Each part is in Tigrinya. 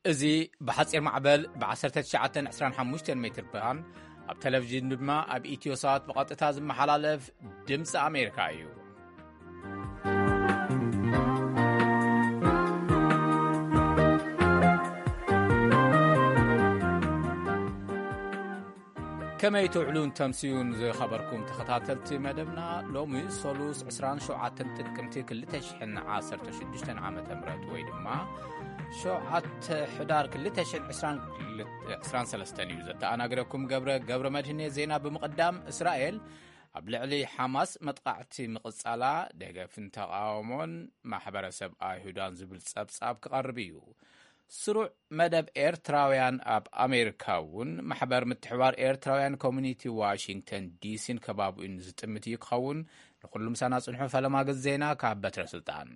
እዚ ብሓጺር ማዕበል ብ1925 ሜትር ባን ኣብ ቴሌቪዥን ድማ ኣብ ኢትዮ ሳት ብቐጥታ ዝመሓላለፍ ድምፂ ኣሜሪካ እዩ። ከመይ ትውዕሉን ተምስዩን ዝኸበርኩም ተኸታተልቲ መደብና፣ ሎሚ ሰሉስ 27 ጥቅምቲ 2016 ዓመተ ምህረት ወይ ድማ 7 ሕዳር 2023 እዩ። ዘተኣናግደኩም ገብረ፣ ገብረ መድህኔ። ዜና ብምቕዳም፣ እስራኤል ኣብ ልዕሊ ሓማስ መጥቃዕቲ ምቕጻላ ደገፍን ተቓውሞን ማሕበረሰብ ኣይሁዳን ዝብል ጸብጻብ ክቐርብ እዩ። ስሩዕ መደብ ኤርትራውያን ኣብ ኣሜሪካ እውን ማሕበር ምትሕባር ኤርትራውያን ኮሚኒቲ ዋሽንግተን ዲሲን ከባቢኡን ዝጥምት እዩ ክኸውን። ንኹሉ ምሳና ጽንሑ። ፈለማ ግዜ ዜና ካብ በትረ ስልጣን።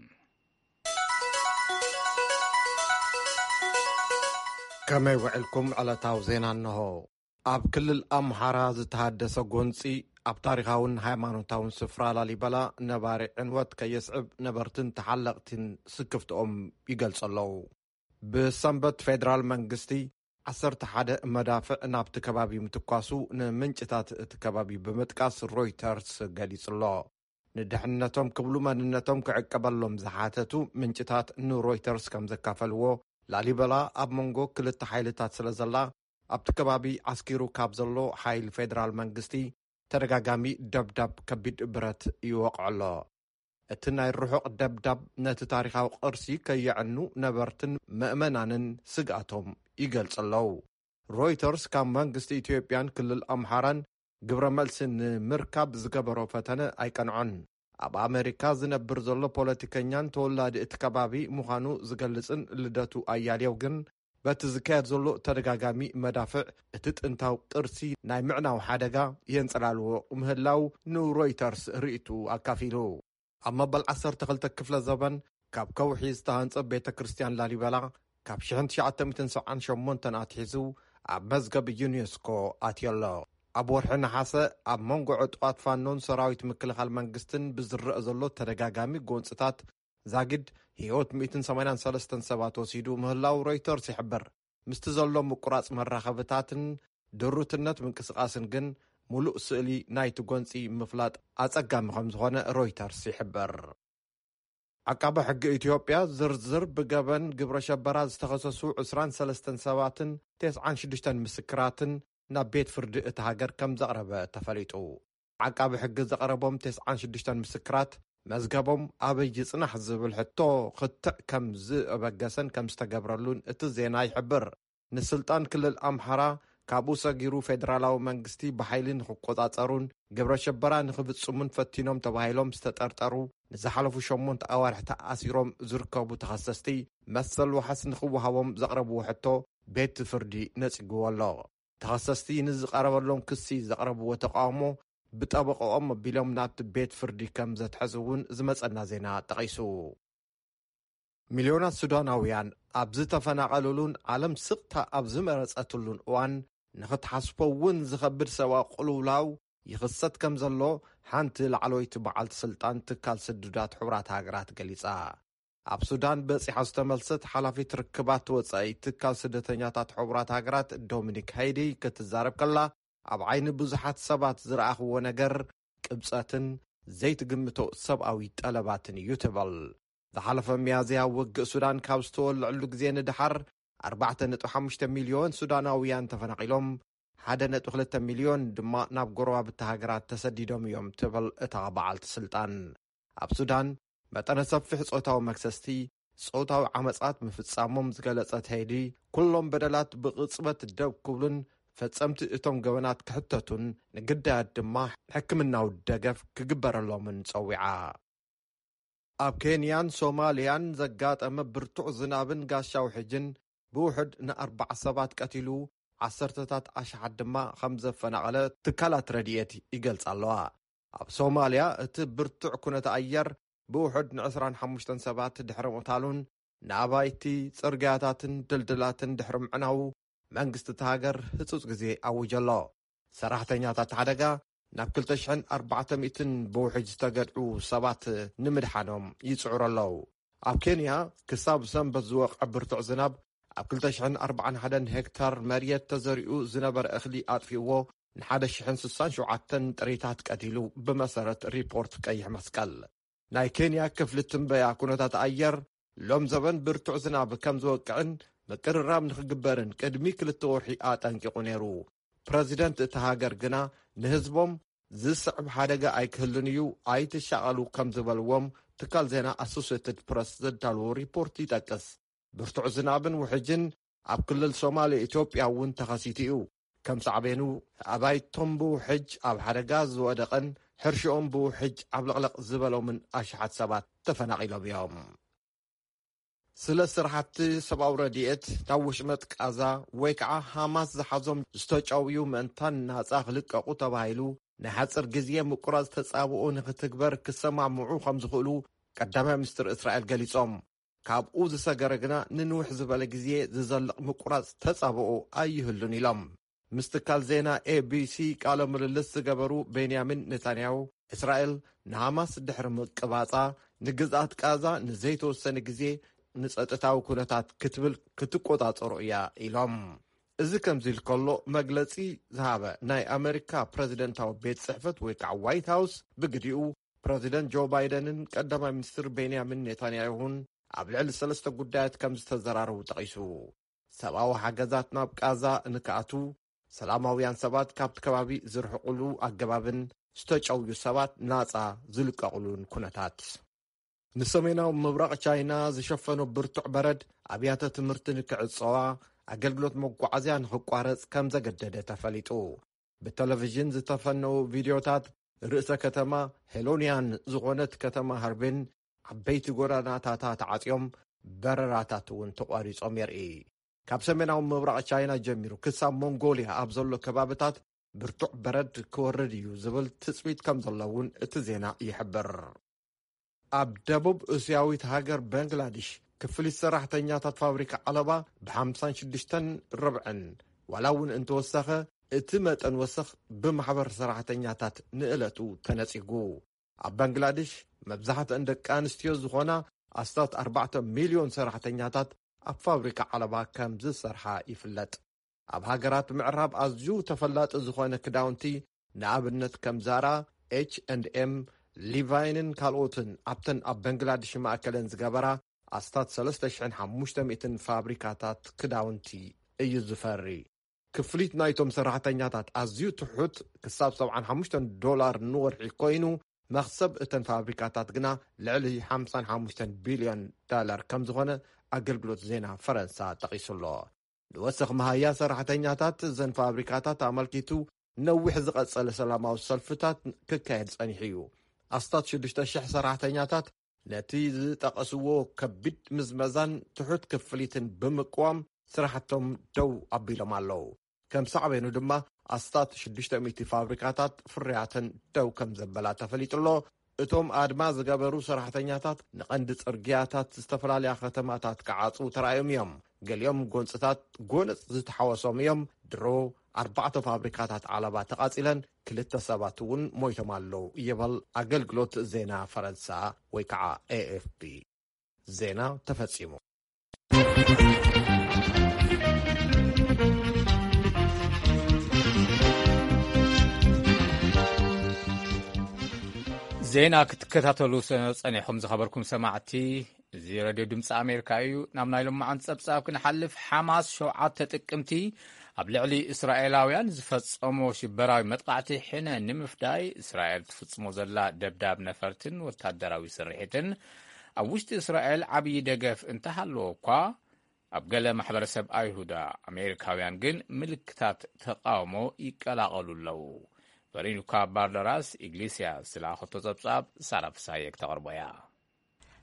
ከመይ ውዕልኩም? ዕለታዊ ዜና እንሆ። ኣብ ክልል ኣምሓራ ዝተሃደሰ ጎንፂ ኣብ ታሪኻውን ሃይማኖታውን ስፍራ ላሊበላ ነባሪ ዕንወት ከየስዕብ ነበርትን ተሓለቕትን ስክፍትኦም ይገልጹ ኣለዉ። ብሰንበት ፌደራል መንግስቲ 11 መዳፍዕ ናብቲ ከባቢ ምትኳሱ ንምንጭታት እቲ ከባቢ ብምጥቃስ ሮይተርስ ገሊጹ ኣሎ። ንድሕነቶም ክብሉ መንነቶም ክዕቀበሎም ዝሓተቱ ምንጭታት ንሮይተርስ ከም ዘካፈልዎ፣ ላሊበላ ኣብ መንጎ ክልተ ሓይልታት ስለ ዘላ፣ ኣብቲ ከባቢ ዓስኪሩ ካብ ዘሎ ሓይሊ ፌደራል መንግስቲ ተደጋጋሚ ደብዳብ ከቢድ ብረት ይወቕዖ ኣሎ። እቲ ናይ ርሑቕ ደብዳብ ነቲ ታሪኻዊ ቅርሲ ከየዕኑ ነበርትን ምእመናንን ስግኣቶም ይገልጹ ኣለዉ። ሮይተርስ ካብ መንግስቲ ኢትዮጵያን ክልል ኣምሓራን ግብረ መልሲ ንምርካብ ዝገበሮ ፈተነ ኣይቀንዖን። ኣብ ኣመሪካ ዝነብር ዘሎ ፖለቲከኛን ተወላዲ እቲ ከባቢ ምዃኑ ዝገልጽን ልደቱ ኣያሌው ግን፣ በቲ ዝካየድ ዘሎ ተደጋጋሚ መዳፍዕ እቲ ጥንታዊ ቅርሲ ናይ ምዕናው ሓደጋ የንጸላልዎ ምህላው ንሮይተርስ ርእይቱ ኣካፊሉ። ኣብ መበል 12 ክፍለ ዘበን ካብ ከውሒ ዝተሃንጸ ቤተ ክርስቲያን ላሊበላ ካብ 1978 ኣትሒዙ ኣብ መዝገብ ዩኔስኮ ኣትዮ ኣሎ። ኣብ ወርሒ ነሓሰ ኣብ መንጎ ዕጡቓት ፋኖን ሰራዊት ምክልኻል መንግስትን ብዝረአ ዘሎ ተደጋጋሚ ጎንጽታት ዛጊድ ህይወት 183 ሰባት ወሲዱ ምህላው ሮይተርስ ይሕብር። ምስቲ ዘሎ ምቁራጽ መራኸብታትን ድሩትነት ምንቅስቓስን ግን፣ ምሉእ ስእሊ ናይቲ ጎንጺ ምፍላጥ ኣጸጋሚ ከም ዝኾነ ሮይተርስ ይሕብር። ዓቃቢ ሕጊ ኢትዮጵያ ዝርዝር ብገበን ግብረ ሸበራ ዝተኸሰሱ 23 ሰባትን 96 ምስክራትን ናብ ቤት ፍርዲ እቲ ሃገር ከም ዘቕረበ ተፈሊጡ። ዓቃቢ ሕጊ ዘቕረቦም 96 ምስክራት መዝገቦም ኣበይ ይጽናሕ ዝብል ሕቶ ክትዕ ከም ዝበገሰን ከም ዝተገብረሉን እቲ ዜና ይሕብር። ንስልጣን ክልል ኣምሓራ ካብኡ ሰጊሩ ፌደራላዊ መንግስቲ ብሓይሊ ንክቆጻጸሩን ግብረ ሸበራ ንክፍጽሙን ፈቲኖም ተባሂሎም ዝተጠርጠሩ ንዝሓለፉ ሸሞንተ ኣዋርሕ ተኣሲሮም ዝርከቡ ተኸሰስቲ መሰል ዋሕስ ንክወሃቦም ዘቕረብዎ ሕቶ ቤት ፍርዲ ነጺግዎ ኣሎ። ተኸሰስቲ ንዝቐረበሎም ክሲ ዘቕረብዎ ተቃውሞ ብጠበቃኦም ኣቢሎም ናብቲ ቤት ፍርዲ ከም ዘትሐዙ እውን ዝመጸና ዜና ጠቒሱ። ሚልዮናት ሱዳናውያን ኣብ ዝተፈናቐሉሉን ዓለም ስቕታ ኣብ ዝመረጸትሉን እዋን ንኽትሓስቦ እውን ዝኸብድ ሰብኣዊ ቅልውላው ይኽሰት ከም ዘሎ ሓንቲ ላዕለወይቲ በዓልቲ ስልጣን ትካል ስዱዳት ሕቡራት ሃገራት ገሊጻ። ኣብ ሱዳን በጺሓ ዝተመልሰት ሓላፊት ርክባት ወጻኢ ትካል ስደተኛታት ሕቡራት ሃገራት ዶሚኒክ ሃይዲ ክትዛረብ ከላ፣ ኣብ ዓይኒ ብዙሓት ሰባት ዝረኣኽዎ ነገር ቅብጸትን ዘይትግምቶ ሰብኣዊ ጠለባትን እዩ ትብል። ዝሓለፈ ሚያዝያ ውግእ ሱዳን ካብ ዝተወልዐሉ ግዜ ንደሓር ኣርባዕተ ነጥቢ ሓሙሽተ ሚልዮን ሱዳናውያን ተፈናቒሎም፣ ሓደ ነጥቢ ክልተ ሚልዮን ድማ ናብ ጎረባብቲ ሃገራት ተሰዲዶም እዮም ትብል እታ በዓልቲ ስልጣን። ኣብ ሱዳን መጠነ ሰፊሕ ጾታዊ መክሰስቲ፣ ጾታዊ ዓመጻት ምፍጻሞም ዝገለጸት ሄይዲ፣ ኩሎም በደላት ብቕጽበት ደው ክብሉን ፈጸምቲ እቶም ገበናት ክሕተቱን ንግዳያት ድማ ሕክምናዊ ደገፍ ክግበረሎምን ጸዊዓ። ኣብ ኬንያን ሶማልያን ዘጋጠመ ብርቱዕ ዝናብን ጋሻዊ ሕጅን ብውሕድ ንኣርባዓ ሰባት ቀቲሉ፣ ዓሰርተታት ኣሽሓት ድማ ከም ዘፈናቐለ ትካላት ረድኤት ይገልጻ ኣለዋ። ኣብ ሶማልያ እቲ ብርቱዕ ኩነተ ኣየር ብውሕድ ን25 ሰባት ድሕሪ ምቕታሉን ንኣባይቲ፣ ጽርግያታትን ድልድላትን ድሕሪ ምዕናዉ መንግስቲ እታ ሃገር ህጹጽ ግዜ ኣዊጁ ኣሎ። ሰራሕተኛታት ሓደጋ ናብ 2,400 ብውሕጅ ዝተገድዑ ሰባት ንምድሓኖም ይጽዕሩ ኣለዉ። ኣብ ኬንያ ክሳብ ሰንበት ዝወቕዐ ብርቱዕ ዝናብ ኣብ ክልተ ሽሕን ኣርባዓን ሓደን ሄክታር መሬት ተዘሪኡ ዝነበረ እኽሊ ኣጥፊእዎ፣ ንሓደ ሽሕን ስሳን ሸውዓተን ጥሪታት ቀቲሉ፣ ብመሰረት ሪፖርት ቀይሕ መስቀል። ናይ ኬንያ ክፍሊ ትንበያ ኩነታት ኣየር፣ ሎም ዘበን ብርቱዕ ዝናብ ከም ዝወቅዕን ምቅርራብ ንኽግበርን ቅድሚ ክልተ ወርሒ ኣጠንቂቑ ነይሩ። ፕረዚደንት እታ ሃገር ግና ንህዝቦም ዝስዕብ ሓደጋ ኣይክህልን እዩ፣ ኣይትሻቐሉ ከም ዝበልዎም ትካል ዜና ኣሶሴትድ ፕረስ ዘዳለዎ ሪፖርት ይጠቅስ። ብርቱዕ ዝናብን ውሕጅን ኣብ ክልል ሶማሌ ኢትዮጵያ እውን ተኸሲቱ እዩ። ከም ሳዕቤኑ ኣባይቶም ብውሕጅ ኣብ ሓደጋ ዝወደቐን ሕርሽኦም ብውሕጅ ኣብ ለቕለቕ ዝበሎምን ኣሽሓት ሰባት ተፈናቒሎም እዮም። ስለ ስራሕቲ ሰብኣዊ ረድኤት ናብ ወሽመጥ ቃዛ ወይ ከዓ ሃማስ ዝሓዞም ዝተጨውዩ ምእንታን ናፃ ክልቀቑ ተባሂሉ ናይ ሓፂር ግዜ ምቁራፅ ተፃብኦ ንክትግበር ክሰማምዑ ከም ዝኽእሉ ቀዳማይ ሚኒስትር እስራኤል ገሊፆም። ካብኡ ዝሰገረ ግና ንንውሕ ዝበለ ግዜ ዝዘልቕ ምቁራፅ ተፃብኦ ኣይህሉን ኢሎም። ምስ ትካል ዜና ኤ ቢ ሲ ቃለ ምልልስ ዝገበሩ ቤንያሚን ኔታንያሁ፣ እስራኤል ንሃማስ ድሕሪ ምቅባጻ ንግዝኣት ቃዛ ንዘይተወሰነ ግዜ ንጸጥታዊ ኩነታት ክትብል ክትቆጻጸሮ እያ ኢሎም። እዚ ከምዚ ኢሉ ከሎ፣ መግለጺ ዝሃበ ናይ ኣመሪካ ፕረዚደንታዊ ቤት ጽሕፈት ወይ ከዓ ዋይት ሃውስ ብግዲኡ፣ ፕረዚደንት ጆ ባይደንን ቀዳማይ ሚኒስትር ቤንያሚን ኔታንያሁን ኣብ ልዕሊ ሰለስተ ጉዳያት ከም ዝተዘራረቡ ጠቒሱ። ሰብኣዊ ሓገዛት ናብ ቃዛ ንክኣቱ፣ ሰላማውያን ሰባት ካብቲ ከባቢ ዝርሕቁሉ ኣገባብን ዝተጨውዩ ሰባት ናጻ ዝልቀቑሉን ኩነታት። ንሰሜናዊ ምብራቕ ቻይና ዝሸፈኖ ብርቱዕ በረድ ኣብያተ ትምህርቲ ንክዕጸዋ፣ ኣገልግሎት መጓዓዝያ ንክቋረጽ ከም ዘገደደ ተፈሊጡ። ብቴሌቪዥን ዝተፈነዉ ቪድዮታት ርእሰ ከተማ ሄሎንያን ዝኾነት ከተማ ሃርቢን ዓበይቲ ጎደናታታ ተዓጽዮም፣ በረራታት እውን ተቋሪጾም የርኢ። ካብ ሰሜናዊ ምብራቕ ቻይና ጀሚሩ ክሳብ ሞንጎልያ ኣብ ዘሎ ከባብታት ብርቱዕ በረድ ክወርድ እዩ ዝብል ትጽቢት ከም ዘሎ እውን እቲ ዜና ይሕብር። ኣብ ደቡብ እስያዊት ሃገር በንግላድሽ፣ ክፍሊት ሰራሕተኛታት ፋብሪካ ዓለባ ብሓምሳን ሽዱሽተን ርብዕን ዋላ እውን እንተወሰኸ፣ እቲ መጠን ወሰኽ ብማሕበር ሰራሕተኛታት ንእለቱ ተነጺጉ። ኣብ በንግላድሽ፣ መብዛሕትአን ደቂ ኣንስትዮ ዝኾና ኣስታት ኣርባዕተ ሚልዮን ሰራሕተኛታት ኣብ ፋብሪካ ዓለባ ከም ዝሰርሓ ይፍለጥ። ኣብ ሃገራት ምዕራብ ኣዝዩ ተፈላጢ ዝኾነ ክዳውንቲ፣ ንኣብነት ከም ዛራ፣ ኤች ኤንድ ኤም፣ ሊቫይንን ካልኦትን ኣብተን ኣብ በንግላድሽ ማእከለን ዝገበራ ኣስታት ሰለስተ ሽሕን ሓሙሽተ ሚእትን ፋብሪካታት ክዳውንቲ እዩ ዝፈሪ። ክፍሊት ናይቶም ሰራሕተኛታት ኣዝዩ ትሑት፣ ክሳብ ሰብዓን ሓሙሽተን ዶላር ንወርሒ ኮይኑ፣ መኽሰብ እተን ፋብሪካታት ግና ልዕሊ ሓምሳን ሓሙሽተን ቢልዮን ዳላር ከም ዝኾነ ኣገልግሎት ዜና ፈረንሳ ጠቒሱ ኣሎ። ንወሰኽ መሃያ ሰራሕተኛታት እዘን ፋብሪካታት ኣመልኪቱ ነዊሕ ዝቐጸለ ሰላማዊ ሰልፍታት ክካየድ ጸኒሑ እዩ። ኣስታት ሽዱሽተ ሽሕ ሰራሕተኛታት ነቲ ዝጠቐስዎ ከቢድ ምዝመዛን ትሑት ክፍሊትን ብምቅዋም ስራሕቶም ደው ኣቢሎም ኣለዉ። ከም ሳዕቤኑ ድማ ኣስታት ሽዱሽተ ሚእቲ ፋብሪካታት ፍርያተን ደው ከም ዘበላ ተፈሊጡ ኣሎ። እቶም ኣድማ ዝገበሩ ሰራሕተኛታት ንቐንዲ ጽርግያታት ዝተፈላለያ ከተማታት ክዓጽዉ ተራእዮም እዮም። ገሊኦም ጎንጽታት ጎነጽ ዝተሓወሶም እዮም። ድሮ ኣርባዕተ ፋብሪካታት ዓለባ ተቓጺለን ክልተ ሰባት እውን ሞይቶም ኣለዉ ይብል ኣገልግሎት ዜና ፈረንሳ ወይ ከዓ ኤ ኤፍ ፒ። ዜና ተፈጺሙ። ዜና ክትከታተሉ ሰ-፣ ጸኒሕኩም ዝኸበርኩም ሰማዕቲ፣ እዚ ሬድዮ ድምፂ ኣሜሪካ እዩ። ናብ ናይ ሎማዓንቲ ጸብጻብ ክንሓልፍ፣ ሓማስ ሸውዓተ ጥቅምቲ ኣብ ልዕሊ እስራኤላውያን ዝፈጸሞ ሽበራዊ መጥቃዕቲ ሕነ ንምፍዳይ እስራኤል ትፍጽሞ ዘላ ደብዳብ ነፈርትን ወታደራዊ ስርሒትን ኣብ ውሽጢ እስራኤል ዓብዪ ደገፍ እንተሃለዎ እኳ፣ ኣብ ገለ ማሕበረሰብ ኣይሁዳ ኣሜሪካውያን ግን ምልክታት ተቃውሞ ይቀላቐሉ ኣለዉ። ቨሮኒካ ባርደራስ ኢግሊስያስ ዝለኣኸቶ ጸብጻብ ሳራ ፍሳየ ክተቕርቦ እያ።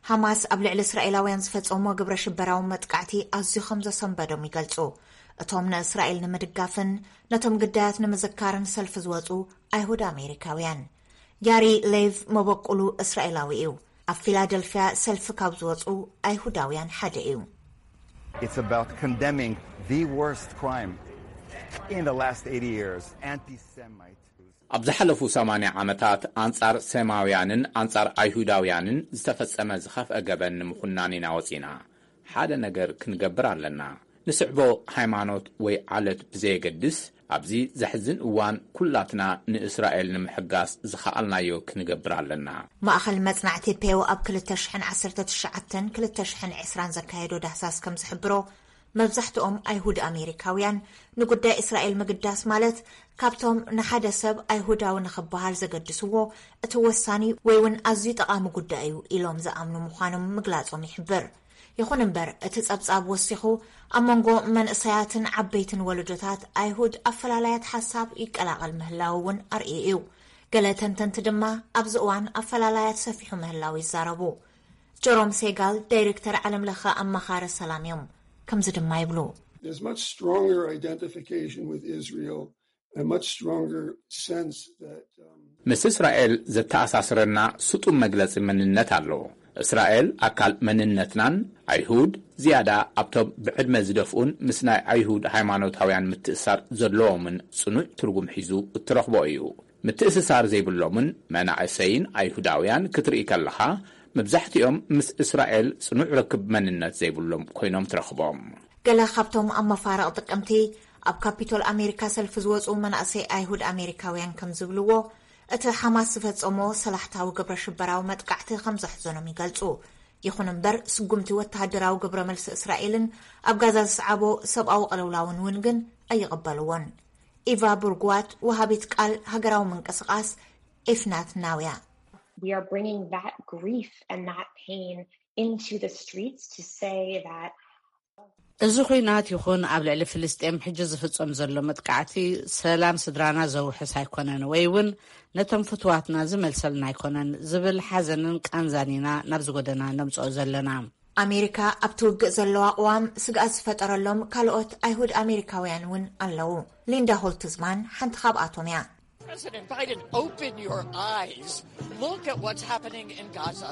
ሓማስ ኣብ ልዕሊ እስራኤላውያን ዝፈጸሞ ግብረ ሽበራዊ መጥቃዕቲ ኣዝዩ ከም ዘሰንበዶም ይገልጹ። እቶም ንእስራኤል ንምድጋፍን ነቶም ግዳያት ንምዝካርን ሰልፊ ዝወጹ ኣይሁድ ኣሜሪካውያን። ያሪ ሌቭ መበቁሉ እስራኤላዊ እዩ። ኣብ ፊላደልፊያ ሰልፊ ካብ ዝወጹ ኣይሁዳውያን ሓደ እዩ። It's about condemning the worst crime in the last eighty years, anti-Semite. ኣብ ዝሓለፉ ሰማንያ ዓመታት ኣንጻር ሴማውያንን ኣንጻር ኣይሁዳውያንን ዝተፈጸመ ዝኸፍአ ገበን ንምኹናን ኢና ወጺና። ሓደ ነገር ክንገብር ኣለና። ንስዕቦ ሃይማኖት ወይ ዓለት ብዘየገድስ፣ ኣብዚ ዘሕዝን እዋን ኩላትና ንእስራኤል ንምሕጋዝ ዝኸኣልናዮ ክንገብር ኣለና። ማእኸል መጽናዕቲ ፔው ኣብ ክልተ ሽሕን ዓሰርተ ትሽዓተን ክልተ ሽሕን ዕስራን ዘካየዶ ዳህሳስ ከም ዝሕብሮ፣ መብዛሕትኦም ኣይሁድ ኣሜሪካውያን ንጉዳይ እስራኤል ምግዳስ ማለት ካብቶም ንሓደ ሰብ ኣይሁዳዊ ንኽበሃል ዘገድስዎ እቲ ወሳኒ ወይ እውን ኣዝዩ ጠቓሚ ጉዳይ እዩ ኢሎም ዝኣምኑ ምዃኖም ምግላጾም ይሕብር። ይኹን እምበር፣ እቲ ጸብጻብ ወሲኹ፣ ኣብ መንጎ መንእሰያትን ዓበይትን ወለዶታት ኣይሁድ ኣፈላላያት ሓሳብ ይቀላቐል ምህላው እውን ኣርእዩ እዩ። ገለ ተንተንቲ ድማ ኣብዚ እዋን ኣፈላላያት ሰፊሑ ምህላው ይዛረቡ። ጀሮም ሴጋል ዳይሬክተር ዓለም ለኸ ኣማኻሪ ሰላም እዮም። ከምዚ ድማ ይብሉ። There's much stronger identification with Israel, a much stronger sense that, um, ምስ እስራኤል ዘተኣሳስረና ስጡም መግለጺ መንነት ኣሎ። እስራኤል ኣካል መንነትናን፣ ኣይሁድ ዝያዳ ኣብቶም ብዕድመ ዝደፍኡን ምስ ናይ ኣይሁድ ሃይማኖታውያን ምትእሳር ዘለዎምን ጽኑዕ ትርጉም ሒዙ እትረኽቦ እዩ። ምትእስሳር ዘይብሎምን መናእሰይን ኣይሁዳውያን ክትርኢ ከለኻ፣ መብዛሕትኦም ምስ እስራኤል ጽኑዕ ርክብ መንነት ዘይብሎም ኮይኖም ትረኽቦም። ገለ ካብቶም ኣብ መፋርቕ ጥቅምቲ ኣብ ካፒቶል ኣሜሪካ ሰልፊ ዝወጹ መናእሰይ ኣይሁድ ኣሜሪካውያን ከም ዝብልዎ፣ እቲ ሓማስ ዝፈጸሞ ሰላሕታዊ ግብረ ሽበራዊ መጥቃዕቲ ከም ዘሕዘኖም ይገልጹ። ይኹን እምበር፣ ስጉምቲ ወተሃደራዊ ግብረ መልሲ እስራኤልን ኣብ ጋዛ ዝሰዓቦ ሰብኣዊ ቅልውላውን እውን ግን ኣይቕበልዎን። ኢቫ ቡርጓት፣ ወሃቢት ቃል ሃገራዊ ምንቅስቓስ ኢፍናት ናውያ። We are bringing that grief and that pain into the streets to say that እዚ ኹናት ይኹን ኣብ ልዕሊ ፍልስጤም ሕጂ ዝፍጸም ዘሎ መጥቃዕቲ ሰላም ስድራና ዘውሕስ ኣይኮነን ወይ እውን ነቶም ፍትዋትና ዝመልሰልና ኣይኮነን ዝብል ሓዘንን ቃንዛን ኢና ናብዚ ጎደና ነምጽኦ ዘለና። ኣሜሪካ ኣብቲ ውግእ ዘለዋ ቅዋም ስግኣት ዝፈጠረሎም ካልኦት ኣይሁድ ኣሜሪካውያን እውን ኣለዉ። ሊንዳ ሆልትዝማን ሓንቲ ካብኣቶም እያ። President Biden, open your eyes. Look at what's happening in Gaza.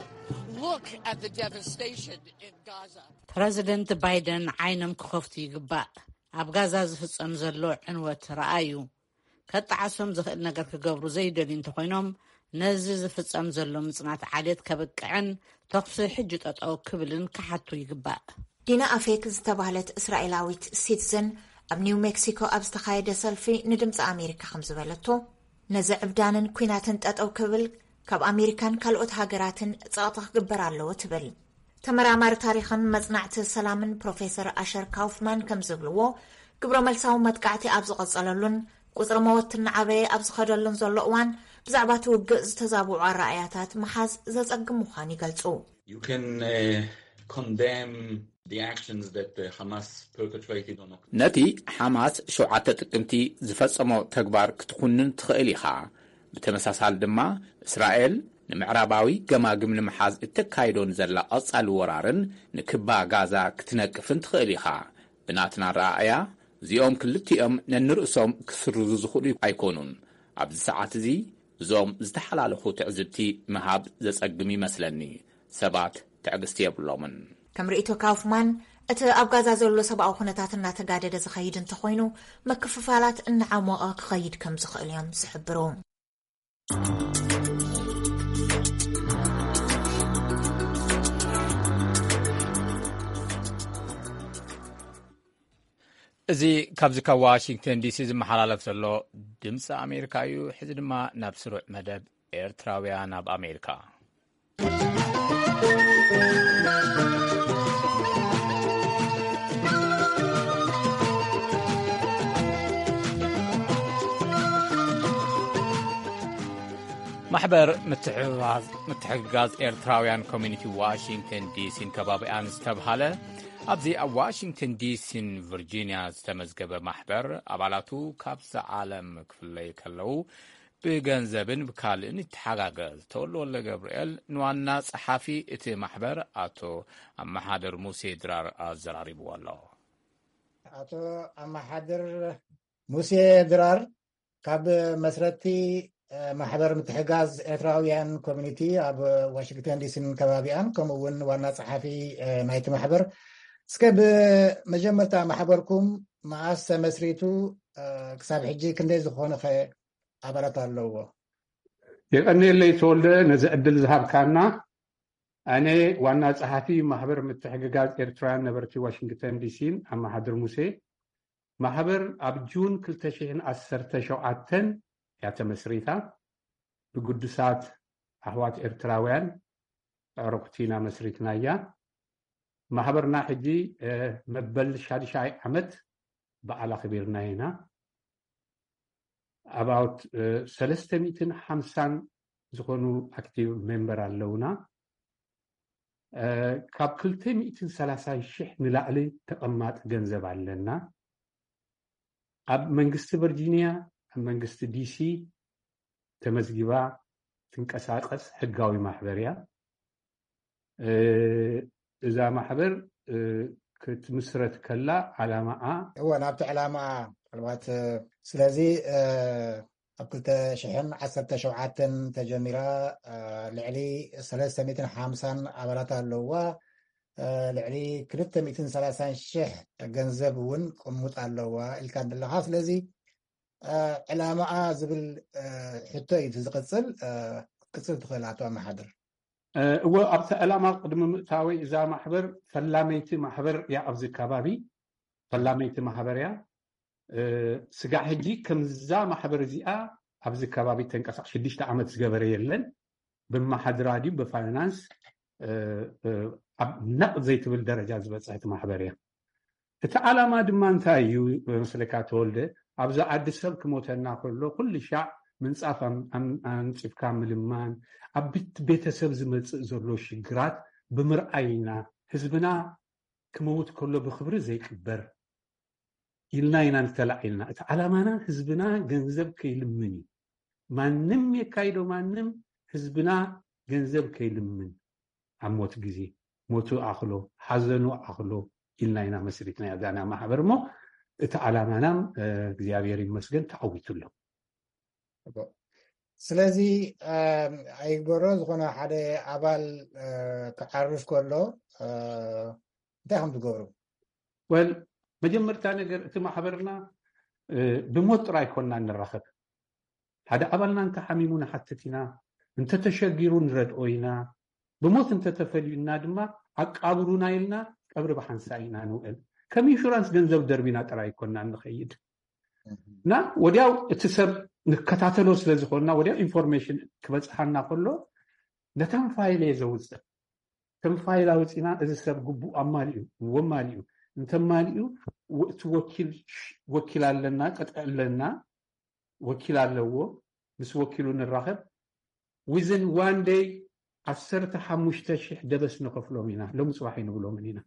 Look at the devastation in Gaza. ፕረዚደንት ባይደን ዓይኖም ክኸፍቱ ይግባእ። ኣብ ጋዛ ዝፍጸም ዘሎ ዕንወት ረኣዩ። ከጠዓሶም ዝኽእል ነገር ክገብሩ ዘይደልዩ እንተኾይኖም፣ ነዚ ዝፍጸም ዘሎ ምጽናት ዓሌት ከብቅዕን ተኹሲ ሕጂ ጠጠው ክብልን ክሓቱ ይግባእ። ዲና ኣፌክ ዝተባህለት እስራኤላዊት ሲቲዘን ኣብ ኒው ሜክሲኮ ኣብ ዝተኻየደ ሰልፊ ንድምፂ ኣሜሪካ ከም ዝበለቶ፣ ነዚ ዕብዳንን ኲናትን ጠጠው ክብል ካብ ኣሜሪካን ካልኦት ሃገራትን ጸቕጢ ክግበር ኣለዎ ትብል። ተመራማሪ ታሪኽን መጽናዕቲ ሰላምን ፕሮፌሰር ኣሸር ካውፍማን ከም ዝብልዎ፣ ግብረ መልሳዊ መጥቃዕቲ ኣብ ዝቐጸለሉን ቁጽሪ መወት እናዓበየ ኣብ ዝኸደሉን ዘሎ እዋን፣ ብዛዕባ እቲ ውግእ ዝተዛብዑ ኣረኣእያታት ምሓዝ ዘጸግም ምዃኑ ይገልጹ። You can uh, condemn the actions that uh, Hamas perpetrated on October. ነቲ ሓማስ ሸውዓተ ጥቅምቲ ዝፈጸሞ ተግባር ክትኹንን ትኽእል ኢኻ። ብተመሳሳሊ ድማ፣ እስራኤል ንምዕራባዊ ገማግም ንምሓዝ እተካይዶ ንዘላ ቀጻሊ ወራርን ንክባ ጋዛ ክትነቅፍን ትኽእል ኢኻ። ብናትና ኣረኣእያ፣ እዚኦም ክልቲኦም ነንርእሶም ክስርዙ ዝኽእሉ ኣይኮኑን። ኣብዚ ሰዓት እዚ እዞም ዝተሓላለኹ ትዕዝብቲ ምሃብ ዘጸግም ይመስለኒ። ሰባት ትዕግስቲ የብሎምን። ከም ርእይቶ ካውፍማን፣ እቲ ኣብ ጋዛ ዘሎ ሰብኣዊ ኩነታት እናተጋደደ ዝኸይድ እንተኾይኑ፣ ምክፍፋላት እናዓሞቐ ክኸይድ ከም ዝኽእል እዮም ዝሕብሩ። እዚ ካብዚ ካብ ዋሽንግተን ዲሲ ዝመሓላለፍ ዘሎ ድምፂ ኣሜሪካ እዩ። ሕዚ ድማ ናብ ስሩዕ መደብ ኤርትራውያን ኣብ ኣሜሪካ። ማሕበር ምትሕብባዝ-፣ ምትሕግጋዝ ኤርትራውያን ኮሚኒቲ ዋሽንግተን ዲሲን ከባቢኣን ዝተብሃለ፣ ኣብዚ ኣብ ዋሽንግተን ዲሲን ቨርጂንያ ዝተመዝገበ ማሕበር፣ ኣባላቱ ካብዛ ዓለም ክፍለዩ ከለዉ ብገንዘብን ብካልእን ይተሓጋገዝ። ተወልደ ወልደ ገብርኤል ንዋና ጸሓፊ እቲ ማሕበር ኣቶ ኣመሓደር ሙሴ ድራር ኣዘራሪብዎ ኣሎ። ኣቶ ኣመሓድር ሙሴ ድራር፣ ካብ መስረቲ፣ እ፣ ማሕበር ምትሕጋዝ ኤርትራውያን ኮሚኒቲ ኣብ ዋሽንግተን ዲሲን ከባቢኣን፣ ከምኡ እውን ዋና ጸሓፊ፣ እ፣ ናይቲ ማሕበር፣ እስከ ብመጀመርታ ማሕበርኩም መኣስ ተመስሪቱ፣ እ፣ ክሳብ ሕጂ ክንደይ ዝኾነ ኸ ኣባላት ኣለዎ? የቐንየለይ ተወልደ፣ ነዚ ዕድል ዝሃብካና። ኣነ ዋና ጸሓፊ ማሕበር ምትሕግጋዝ ኤርትራውያን ነበርቲ ዋሽንግተን ዲሲን ኣመሓድር ሙሴ። ማሕበር ኣብ ጁን ክልተ ሽሕን ዓሰርተ ሸውዓተን እያ ተመስሪታ። ብግዱሳት ኣሕዋት ኤርትራውያን ኣዕሩኽቲ ኢና መስሪትናያ። ማሕበርና ሕጂ መበል ሻድሻይ ዓመት በዓል ኣኽቢርና ኢና። ኣባውት ሰለስተ ሚእትን ሓምሳን ዝኾኑ ኣክቲቭ ሜምበር ኣለውና። ካብ ክልተ ሚእትን ሰላሳን ሽሕ ንላዕሊ ተቐማጢ ገንዘብ ኣለና። ኣብ መንግስቲ ቨርጂኒያ፣ ኣብ መንግስቲ ዲሲ ተመዝጊባ ትንቀሳቐስ ሕጋዊ ማሕበር እያ። እዛ ማሕበር ክትምስረት ከላ ዓላማኣ እወ ናብቲ ዕላማ ምናልባት ስለዚ ኣብ ክልተ ሽሕን ዓሰርተ ሸውዓተን ተጀሚራ ልዕሊ ሰለስተ ሚእትን ሓምሳን ኣባላት ኣለዋ። ልዕሊ ክልተ ሚእትን ሰላሳን ሽሕ ገንዘብ እውን ቅሙጥ ኣለዋ ኢልካ ኣለኻ። ስለዚ ዕላማኣ ዝብል ሕቶ እዩ ዝቕፅል ክትቅፅል ትኽእል ኣቶ ኣመሓድር። እወ ኣብቲ ዕላማ ቅድሚ ምእታወይ እዛ ማሕበር ፈላመይቲ ማሕበር እያ። ኣብዚ ከባቢ ፈላመይቲ ማሕበር እያ። ስጋዕ ሕጂ ከምዛ ማሕበር እዚኣ ኣብዚ ከባቢ ተንቀሳቕ ሽዱሽተ ዓመት ዝገበረ የለን። ብመሓድራ ድዩ ብፋይናንስ ኣብ ነቕ ዘይትብል ደረጃ ዝበፅሐት ማሕበር እያ። እቲ ዓላማ ድማ እንታይ እዩ መስለካ ተወልደ? ኣብዚ ዓዲ ሰብ ክሞተና ከሎ ኩሉ ሻዕ ምንፃፍ ኣንፂፍካ ምልማን ኣብ ቤተሰብ ዝመፅእ ዘሎ ሽግራት ብምርኣይ ኢና። ህዝብና ክመውት ከሎ ብክብሪ ዘይቅበር ኢልና ኢና ንተላዒልና። እቲ ዓላማና ህዝብና ገንዘብ ከይልምን እዩ። ማንም የካይዶ ማንም ህዝብና ገንዘብ ከይልምን ኣብ ሞት ግዜ ሞቱ ኣኽሎ ሓዘኑ ኣኽሎ ኢልና ኢና መስሪትና ያዛና ማሕበር እሞ እቲ ዓላማናም እግዚኣብሔር ይመስገን ተዓዊቱ ኣሎ። ስለዚ ኣይግበሮ ዝኾነ ሓደ ኣባል ክዓርፍ ከሎ እንታይ ከም ትገብሩ? ወል መጀመርታ ነገር እቲ ማሕበርና ብሞት ጥራይ ኮና ንራኸብ። ሓደ ኣባልና እንተሓሚሙ ንሓትት ኢና፣ እንተተሸጊሩ ንረድኦ ኢና። ብሞት እንተተፈልዩና ድማ ኣቃብሩና ኢልና ቀብሪ ብሓንሳ ኢና ንውዕል። ከም ኢንሹራንስ ገንዘብ ደርቢና ጥራይ ኮና ንኸይድ እና ወዲያው እቲ ሰብ ንከታተሎ ስለ ዝኾንና ወዲያው ኢንፎርሜሽን ክበፅሓና ከሎ ነታን ፋይል እየ ዘውፅእ። ከም ፋይል ኣውፂና እዚ ሰብ ግቡእ ኣማሊኡ እዎ ማሊኡ እንተማሊኡ እቲ ወኪል ኣለና ቅጥዒ ኣለና ወኪል ኣለዎ ምስ ወኪሉ ንራኸብ within one day ዓሰርተ ሓሙሽተ ሽሕ ደበስ ንኸፍሎም ኢና ሎም ፅባሕ ይንብሎምን ኢና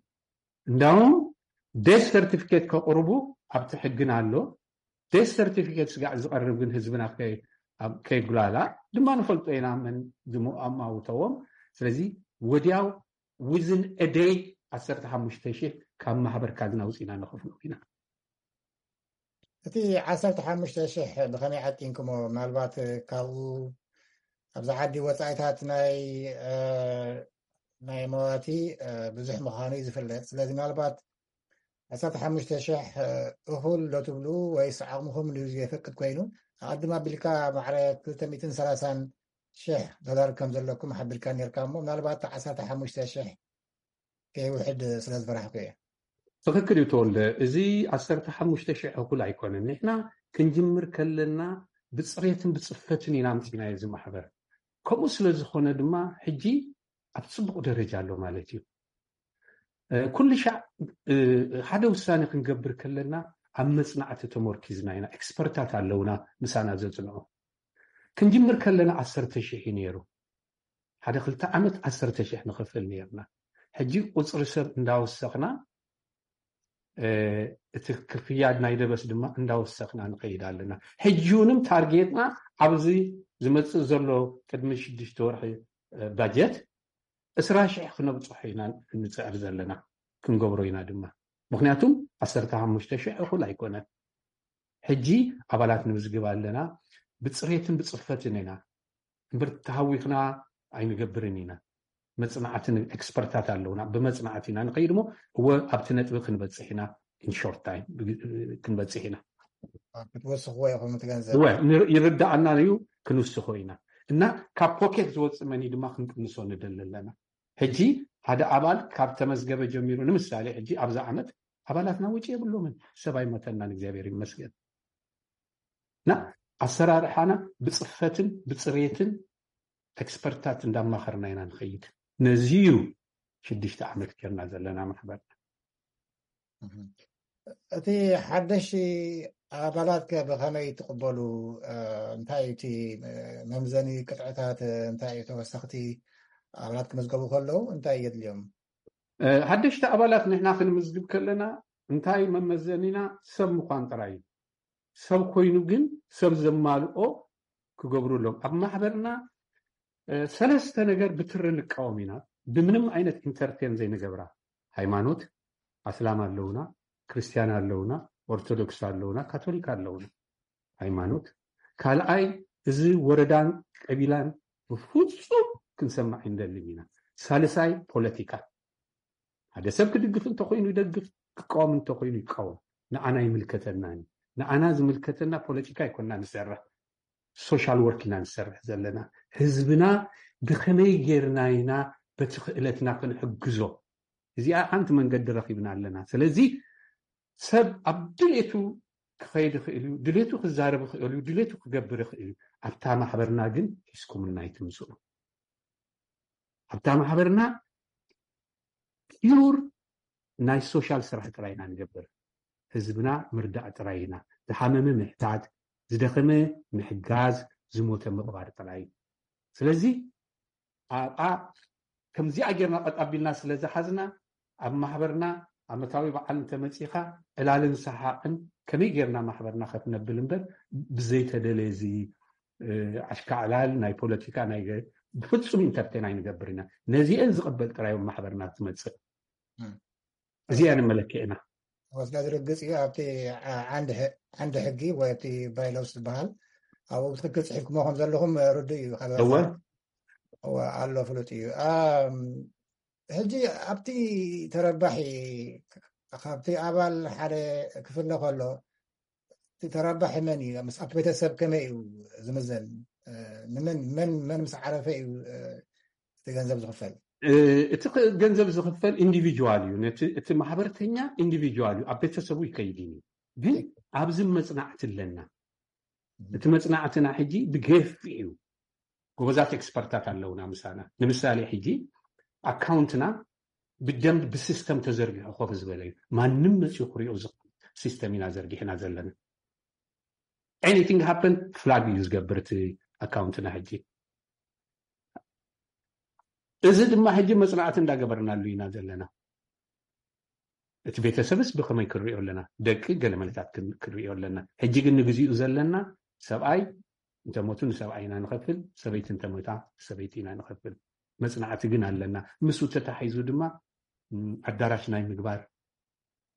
እንዳውም death certificate ከቕርቡ ኣብቲ ሕግና ኣሎ death certificate ስጋዕ ዝቐርብ ግን ህዝብና ከይጉላላ ድማ ንፈልጦ ኢና መን ዝኣማውተዎም ስለዚ ወዲያው within a day ዓሰርተ ሓሙሽተ ሽሕ ካብ ማሕበር ካዝና ውፅኢና ንኸፍሎም ኢና። እቲ ዓሰርተ ሓሙሽተ ሽሕ ብኸመይ ዓጢንኩሞ? ምናልባት ካብኡ ኣብዚ ዓዲ ወፃኢታት ናይ ናይ መዋቲ ብዙሕ ምዃኑ እዩ ዝፍለጥ። ስለዚ ምናልባት ዓሰርተ ሓሙሽተ ሽሕ እኹል ዶ ትብሉ ወይስ ዓቕምኹም ድዩ ዘየፈቅድ ኮይኑ ኣቐድም ኣቢልካ ማዕረ ክልተ ሚእትን ሰላሳን ሽሕ ዶላር ከም ዘለኩም ሓቢርካ ነርካ እሞ ምናልባት ዓሰርተ ሓሙሽተ ሽሕ ከይውሕድ ስለ ዝፈራሕኩ እየ። ትኽክል እዩ ተወልደ። እዚ ዓሰርተ ሓሙሽተ ሽሕ እኹል ኣይኮነን። ንሕና ክንጅምር ከለና ብፅሬትን ብፅፈትን ኢና ኣምፂናዮ እዚ ማሕበር። ከምኡ ስለ ዝኾነ ድማ ሕጂ ኣብ ፅቡቕ ደረጃ ኣሎ ማለት እዩ። ኩሉ ሻዕ ሓደ ውሳኔ ክንገብር ከለና ኣብ መፅናዕቲ ተመርኪዝና ኢና። ኤክስፐርታት ኣለውና ምሳና ዘፅንዑ። ክንጅምር ከለና ዓሰርተ ሽሕ እዩ ነይሩ። ሓደ ክልተ ዓመት ዓሰርተ ሽሕ ንኸፍል ነርና። ሕጂ ቁፅሪ ሰብ እንዳወሰኽና እቲ ክፍያ ናይ ደበስ ድማ እንዳወሰኽና ንኸይድ ኣለና። ሕጂ እውን ታርጌትና ኣብዚ ዝመፅእ ዘሎ ቅድሚ ሽዱሽተ ወርሒ ባጀት ዕስራ ሽሕ ክነብፅሖ ኢና ንፅዕር ዘለና ክንገብሮ ኢና ድማ ምክንያቱም ዓሰርተ ሓሙሽተ ሽሕ እኹል ኣይኮነን። ሕጂ ኣባላት ንምዝግብ ኣለና። ብፅሬትን ብፅፈትን ኢና እምበር ተሃዊኽና ኣይንገብርን ኢና። መፅናዕትን ኤክስፐርታት ኣለውና ብመፅናዕቲ ኢና ንኸይድ እሞ እወ ኣብቲ ነጥቢ ክንበፅሕ ኢና። ኢንሾርት ታይም ክንበፅሕ ኢና። ክትወስኽዎ ኢኹም እቲ ገንዘብ እወ ይርዳኣና እዩ። ክንውስኾ ኢና እና ካብ ፖኬት ዝወፅእ መኒ ድማ ክንቅንሶ ንደሊ ኣለና። ሕጂ ሓደ ኣባል ካብ ተመዝገበ ጀሚሩ፣ ንምሳሌ ሕጂ ኣብዚ ዓመት ኣባላትና ወጪ የብሎምን፣ ሰብ ኣይሞተናን፣ እግዚኣብሔር ይመስገን። እና ኣሰራርሓና ብፅፈትን ብፅሬትን ኤክስፐርታት እንዳማኸርና ኢና ንኸይድ። ነዚ እዩ ሽዱሽተ ዓመት ጌርና ዘለና ማሕበርና። እቲ ሓደሽ ኣባላት ከ ብኸመይ ትቕበሉ? እንታይ እቲ መምዘኒ ቅጥዕታት እንታይ እዩ? ተወሰኽቲ ኣባላት ክምዝገቡ ከለዉ እንታይ የድልዮም? ሓደሽቲ ኣባላት ንሕና ክንምዝግብ ከለና እንታይ መመዘኒና? ሰብ ምዃን ጥራይ እዩ። ሰብ ኮይኑ ግን ሰብ ዘማልኦ ክገብሩ ኣለዎም። ኣብ ማሕበርና ሰለስተ ነገር ብትሪ ንቃወም ኢና፣ ብምንም ዓይነት ኢንተርቴን ዘይንገብራ። ሃይማኖት፣ ኣስላም ኣለውና፣ ክርስትያን ኣለውና፣ ኦርቶዶክስ ኣለውና፣ ካቶሊክ ኣለውና። ሃይማኖት። ካልኣይ፣ እዚ ወረዳን ቀቢላን ብፍፁም ክንሰማዕ ኣይንደልን ኢና። ሳልሳይ፣ ፖለቲካ። ሓደ ሰብ ክድግፍ እንተኮይኑ ይደግፍ፣ ክቃወም እንተኮይኑ ይቃወም። ንዓና ይምልከተናን እዩ። ንዓና ዝምልከተና ፖለቲካ ኣይኮና ንሰርሕ፣ ሶሻል ወርክ ኢና ንሰርሕ ዘለና። ህዝብና ብከመይ ጌርና ኢና በቲ ክእለትና ክንሕግዞ? እዚኣ ሓንቲ መንገዲ ረኪብና ኣለና። ስለዚ ሰብ ኣብ ድሌቱ ክኸይድ ይኽእል እዩ፣ ድሌቱ ክዛረብ ይኽእል እዩ፣ ድሌቱ ክገብር ይኽእል እዩ። ኣብታ ማሕበርና ግን ሒዝኩምና ኣይትምፅኡ። ኣብታ ማሕበርና ፒውር ናይ ሶሻል ስራሕ ጥራይ ኢና ንገብር። ህዝብና ምርዳእ ጥራይ ኢና። ዝሓመመ ምሕታት፣ ዝደኸመ ምሕጋዝ፣ ዝሞተ ምቕባር ጥራይ እዩ። ስለዚ ኣብኣ ከምዚኣ ጌርና ቀጥ ኣቢልና ስለ ዝሓዝና፣ ኣብ ማሕበርና ዓመታዊ በዓል እንተመፂኻ ዕላልን ሰሓቕን ከመይ ጌርና ማሕበርና ከፍ ነብል እምበር፣ ብዘይተደለየ እዚ ኣሽካዕላል ናይ ፖለቲካ ናይ ብፍፁም ኢንተርቴን ኣይንገብር ኢና። ነዚአን ዝቕበል ጥራይ ማሕበርና ትመፅእ። እዚኣ ንመለክዕና። ወስዳ ዝርግፅ እዩ። ኣብቲ ዓንዲ ሕጊ ወይ ኣብቲ ባይሎስ ዝበሃል ኣብኡ ብትክክል ፅሒፍኩሞ ከም ዘለኹም ርዱእ እዩ። እወ ኣሎ፣ ፍሉጥ እዩ። ሕጂ ኣብቲ ተረባሒ ካብቲ ኣባል ሓደ ክፍለ ከሎ፣ እቲ ተረባሒ መን እዩ? ምስ ኣብቲ ቤተሰብ ከመይ እዩ ዝምዘን? ንመን መን መን ምስ ዓረፈ እዩ እቲ ገንዘብ ዝኽፈል? እቲ ገንዘብ ዝኽፈል ኢንዲቪጁዋል እዩ። እቲ ማሕበርተኛ ኢንዲቪጁዋል እዩ፣ ኣብ ቤተሰቡ ይከይድ እዩ። ግን ኣብዚ መፅናዕቲ ኣለና። እቲ መፅናዕትና ሕጂ ብገፊ እዩ። ጎበዛት ኤክስፐርታት ኣለውና ምሳና። ንምሳሌ ሕጂ ኣካውንትና ብደንብ ብሲስተም ተዘርጊሑ ኮፍ ዝበለ እዩ። ማንም መፅኡ ክሪኦ ዝኽእል ሲስተም ኢና ዘርጊሕና ዘለና። ኤኒቲንግ ሃፐን ፍላግ እዩ ዝገብር እቲ ኣካውንትና ሕጂ። እዚ ድማ ሕጂ መፅናዕቲ እንዳገበርናሉ ኢና ዘለና። እቲ ቤተሰብስ ብኸመይ ክንሪኦ ኣለና? ደቂ ገለ መለታት ክን- ክንሪኦ ኣለና። ሕጂ ግን ንግዚኡ ዘለና ሰብኣይ እንተሞቱ ንሰብኣይ ኢና ንኸፍል፣ ሰበይቲ እንተሞታ ሰበይቲ ኢና ንኸፍል። መፅናዕቲ ግን ኣለና። ምስኡ ተታሒዙ ድማ ም፣ ኣዳራሽ ናይ ምግባር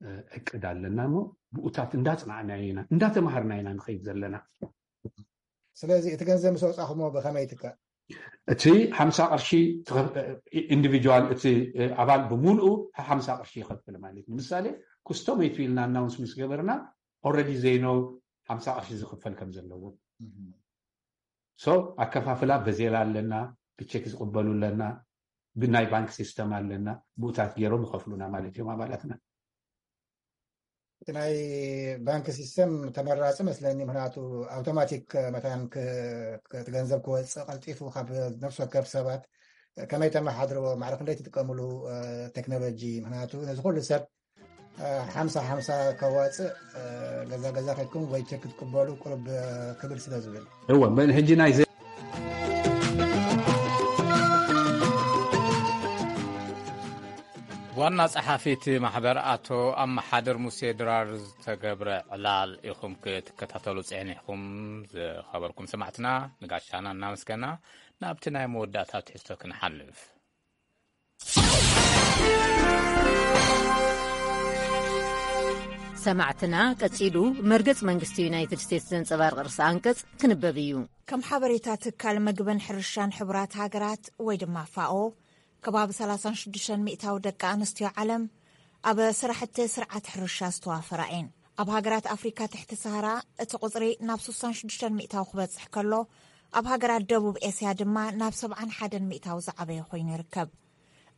እ፣ እቅድ ኣለና እሞ ብኡታት እንዳፅናዕና ኢና እንዳተማሃርና ኢና ንኸይድ ዘለና። ስለዚ እቲ ገንዘብ ምስ ኣውፃኹሞ ብኸመይ ይትካእ? እቲ ሓምሳ ቅርሺ ኢንዲቪጁዋል እቲ ኣባል ብምሉኡ ሓምሳ ቅርሺ ይኸፍል ማለት እዩ። ንምሳሌ ኩስቶ መይቱ ኢልና ኣናውንስ ምስ ገበርና ኦረዲ ዘይኖ ሓምሳ ቅርሺ ዝኽፈል ከም ዘለዎ ሶ ኣከፋፍላ በዜላ ኣለና፣ ብቼክ ዝቕበሉ ኣለና፣ ብናይ ባንክ ሲስተም ኣለና፣ ብኡታት ገይሮም ይኸፍሉና ማለት እዮም ኣባላትና። እቲ ናይ ባንክ ሲስተም ተመራፂ መስለኒ፣ ምክንያቱ ኣውቶማቲክ መታን ክ- ክ- እቲ ገንዘብ ክወፅእ ቀልጢፉ ካብ ነፍሲ ወከፍ ሰባት ከመይ ተመሓድርዎ ማዕረ ክንደይ ትጥቀምሉ ቴክኖሎጂ፣ ምክንያቱ ነዚ ኩሉ ሰብ ሓምሳ ሓምሳ ከዋፅእ ገዛ ገዛ ከድኩም ወይ ቸክ ክትቅበሉ ቁርብ ክብል ስለ ዝብል። እወ መን ሕጂ ናይ ዋና ጸሓፊ እቲ ማሕበር ኣቶ ኣመሓደር ሙሴ ድራር ዝተገብረ ዕላል ኢኹም ክትከታተሉ ጸኒሕኩም። ዝኸበርኩም ሰማዕትና ንጋሻና እናመስገና ናብቲ ናይ መወዳእታ ትሕዝቶ ክንሓልፍ። ሰማዕትና ቀጺሉ መርገጽ መንግስቲ ዩናይትድ ስቴትስ ዘንጸባርቕ ርእሰ ኣንቀጽ ክንበብ እዩ። ከም ሓበሬታ ትካል ምግብን ሕርሻን ሕቡራት ሃገራት ወይ ድማ ፋኦ ከባቢ ሰላሳን ሽዱሽተን ሚእታዊ ደቂ ኣንስትዮ ዓለም ኣብ ስራሕቲ ስርዓት ሕርሻ ዝተዋፈራ እየን። ኣብ ሃገራት ኣፍሪካ ትሕቲ ሰሃራ እቲ ቁፅሪ ናብ ስሳን ሽዱሽተን ሚእታዊ ክበፅሕ ከሎ ኣብ ሃገራት ደቡብ ኤስያ ድማ ናብ ሰብዓን ሓደን ሚእታዊ ዝዓበየ ኮይኑ ይርከብ።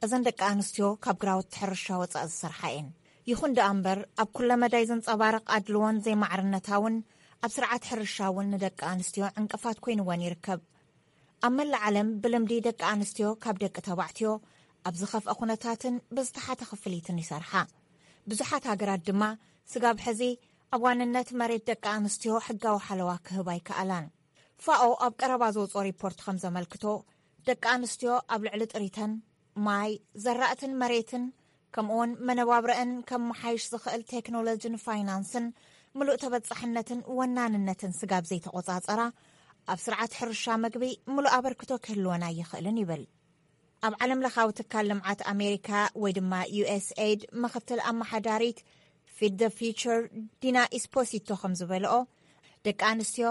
እዘን ደቂ ኣንስትዮ ካብ ግራውቲ ሕርሻ ወጻእ ዝሰርሓ እየን። ይኹን ደኣ እምበር፣ ኣብ ኩለ መዳይ ዘንጸባርቕ ኣድልዎን ዘይማዕርነታውን ኣብ ስርዓት ሕርሻ እውን ንደቂ ኣንስትዮ ዕንቅፋት ኮይንወን ይርከብ። ኣብ መላእ ዓለም ብልምዲ ደቂ ኣንስትዮ ካብ ደቂ ተባዕትዮ ኣብ ዝኸፍአ ኩነታትን ብዝተሓተ ክፍሊትን ይሰርሓ። ብዙሓት ሃገራት ድማ ስጋብ ሕዚ ኣብ ዋንነት መሬት ደቂ ኣንስትዮ ሕጋዊ ሓለዋ ክህባ ኣይከኣላን። ፋኦ ኣብ ቀረባ ዘውፅኦ ሪፖርት ከም ዘመልክቶ፣ ደቂ ኣንስትዮ ኣብ ልዕሊ ጥሪተን፣ ማይ፣ ዘራእትን መሬትን፣ ከምኡውን መነባብረአን ከመሓይሽ ዝኽእል ቴክኖሎጂን ፋይናንስን ምሉእ ተበጻሕነትን ወናንነትን ስጋብ ዘይተቖጻጸራ፣ ኣብ ስርዓት ሕርሻ መግቢ ምሉእ ኣበርክቶ ክህልወን ኣይኽእልን ይብል። ኣብ ዓለም ለኻዊ ትካል ልምዓት ኣሜሪካ ወይ ድማ ዩ ኤስ ኤይድ ምኽትል ኣመሓዳሪት ፊድ ደ ፊቸር ዲና ኢስፖሲቶ ከም ዝበልኦ፣ ደቂ ኣንስትዮ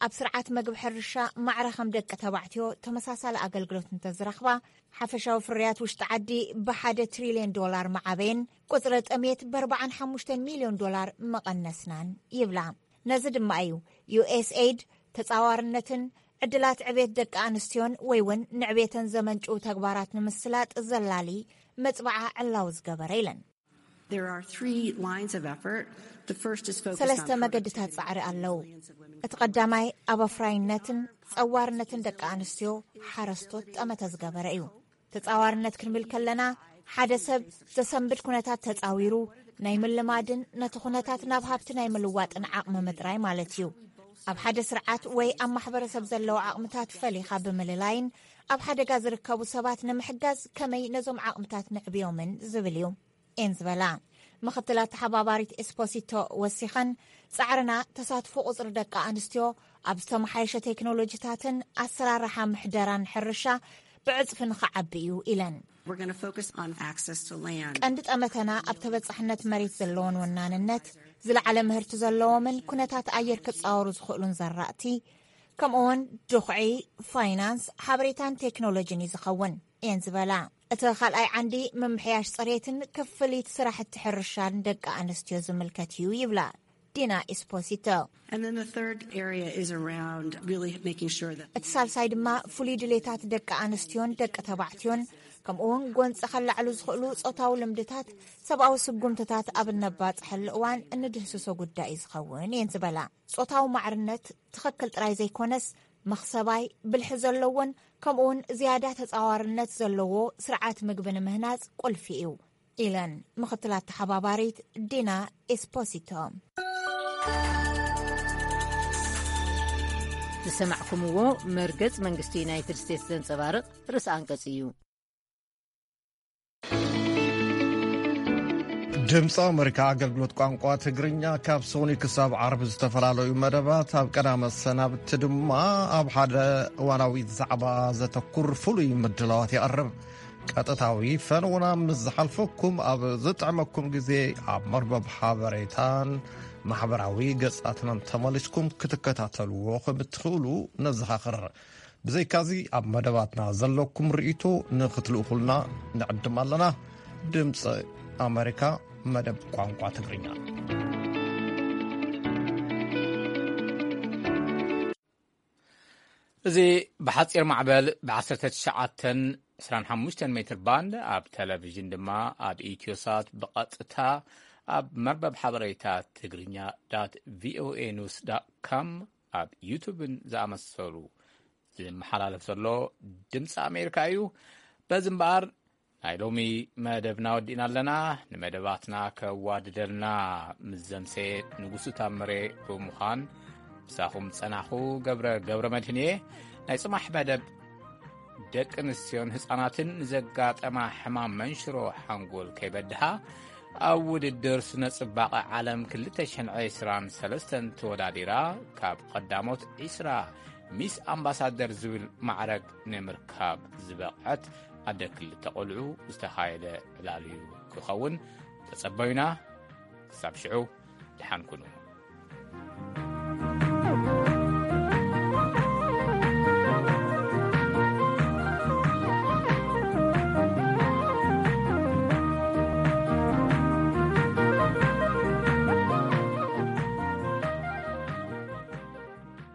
ኣብ ስርዓት መግቢ ሕርሻ ማዕረ ከም ደቂ ተባዕትዮ ተመሳሳሊ ኣገልግሎት እንተዝረኽባ፣ ሓፈሻዊ ፍርያት ውሽጢ ዓዲ ብሓደ ትሪልዮን ዶላር ምዓበየን፣ ቁፅሪ ጥሜት ብ ኣርባዓን ሓሙሽተን ሚልዮን ዶላር ምቐነስናን ይብላ። ነዚ ድማ እዩ ዩ ኤስ ኤይድ ተጻዋርነትን ዕድላት ዕቤት ደቂ ኣንስትዮን ወይ እውን ንዕቤተን ዘመንጭው ተግባራት ንምስላጥ ዘላሊ መጽባዓ ዕላዊ ዝገበረ ኢለን። There are three lines of effort. The first is focused ሰለስተ on መገድታት productivity. ጻዕሪ ኣለዉ። እቲ ቀዳማይ ኣብ ኣፍራይነትን ጸዋርነትን ደቂ ኣንስትዮ ሓረስቶት ጠመተ ዝገበረ እዩ። ተጻዋርነት ክንብል ከለና፣ ሓደ ሰብ ዘሰንብድ ኩነታት ተጻዊሩ ናይ ምልማድን ነቲ ኩነታት ናብ ሃብቲ ናይ ምልዋጥን ዓቕሚ ምጥራይ ማለት እዩ። ኣብ ሓደ ስርዓት ወይ ኣብ ማሕበረሰብ ዘለዉ ዓቕምታት ፈሊኻ ብምልላይን ኣብ ሓደጋ ዝርከቡ ሰባት ንምሕጋዝ ከመይ ነዞም ዓቕምታት ንዕብዮምን ዝብል እዩ። እየን ዝበላ። ምኽትል ኣተሓባባሪት ኤስፖሲቶ ወሲኸን፣ ጻዕርና ተሳትፎ ቁጽሪ ደቂ ኣንስትዮ ኣብ ዝተመሓየሸ ቴክኖሎጂታትን ኣሰራርሓ ምሕደራን ሕርሻ ብዕጽፊ ንኽዓቢ እዩ ኢለን። We're going to focus on access to land. ቀንዲ ጠመተና ኣብ ተበጻሕነት መሬት ዘለዎን ወናንነት፣ ዝለዓለ ምህርቲ ዘለዎምን ኩነታት ኣየር ክጻወሩ ዝኽእሉን ዘራእቲ፣ ከምኡውን ድኹዒ፣ ፋይናንስ፣ ሓበሬታን ቴክኖሎጂን እዩ ዝኸውን እየን ዝበላ። እቲ ካልኣይ ዓንዲ ምምሕያሽ ጽሬትን ክፍሊት ስራሕቲ ሕርሻን ደቂ ኣንስትዮ ዝምልከት እዩ ይብላ ዲና ኢስፖሲቶ። And then the third area is around really making sure that እቲ ሳልሳይ ድማ ፍሉይ ድሌታት ደቂ ኣንስትዮን ደቂ ተባዕትዮን፣ ከምኡውን ጎንፂ ከላዕሉ ዝኽእሉ ጾታዊ ልምድታት፣ ሰብኣዊ ስጉምትታት ኣብ እነባፅሐሉ እዋን እንድህስሶ ጉዳይ እዩ ዝኸውን እየን ዝበላ። ጾታዊ ማዕርነት ትኽክል ጥራይ ዘይኮነስ፣ መኽሰባይ፣ ብልሒ ዘለዎን ከምኡውን ዝያዳ ተጻዋርነት ዘለዎ ስርዓት ምግቢ ንምህናጽ ቁልፊ እዩ ኢለን ምኽትል ኣተሓባባሪት ዲና ኤስፖሲቶ። ዝሰማዕኩምዎ መርገጽ መንግስቲ ዩናይትድ ስቴትስ ዘንጸባርቕ ርእሰ ኣንቀጽ እዩ። ድምፂ ኣመሪካ ኣገልግሎት ቋንቋ ትግርኛ ካብ ሰኑይ ክሳብ ዓርቢ ዝተፈላለዩ መደባት፣ ኣብ ቀዳመ ሰናብቲ ድማ ኣብ ሓደ እዋናዊ ዛዕባ ዘተኩር ፍሉይ ምድላዋት የቕርብ። ቀጥታዊ ፈነውና ምስ ዝሓልፈኩም፣ ኣብ ዝጥዕመኩም ግዜ ኣብ መርበብ ሓበሬታን ማሕበራዊ ገጻትናን ተመሊስኩም ክትከታተልዎ ከም እትኽእሉ ነዘኻኽር። ብዘይካዚ፣ ኣብ መደባትና ዘለኩም ርእይቶ ንኽትልእኹልና ንዕድም ኣለና። ድምፂ ኣመሪካ፣ መደብ ቋንቋ ትግርኛ። እዚ ብሓጺር ማዕበል ብ19 25 ሜትር ባንድ፣ ኣብ ቴሌቪዥን ድማ ኣብ ኢትዮሳት ብቐጥታ ኣብ መርበብ ሓበሬታ ትግርኛ ዳት ቪኦኤ ኒውስ ዳት ኮም፣ ኣብ ዩቱብን ዝኣመሰሉ ዝመሓላለፍ ዘሎ ድምፂ ኣሜሪካ እዩ። በዚ እምበኣር፣ ናይ ሎሚ መደብና ወዲእና ኣለና። ንመደባትና ከዋድደልና ምስ ዘምሰ ንጉሱ ታምሬ ብምዃን፣ ምሳኹም ጸናኹ ገብረ፣ ገብረ መድህን እየ። ናይ ጽማሕ መደብ፣ ደቂ ኣንስትዮን ህጻናትን ንዘጋጠማ ሕማም መንሽሮ ሓንጎል ከይበድሃ፣ ኣብ ውድድር ስነ ጽባቐ ዓለም ክልተ ሽሕን ዕስራን ሰለስተን ተወዳዲራ፣ ካብ ቀዳሞት ዕስራ ሚስ ኣምባሳደር ዝብል ማዕረግ ንምርካብ ዝበቕዐት ኣደ ክልተ ቆልዑ ዝተኻየደ ዕላል እዩ ክኸውን። ተጸበዩና። ክሳብ ሽዑ፣ ደሓን ኩኑ።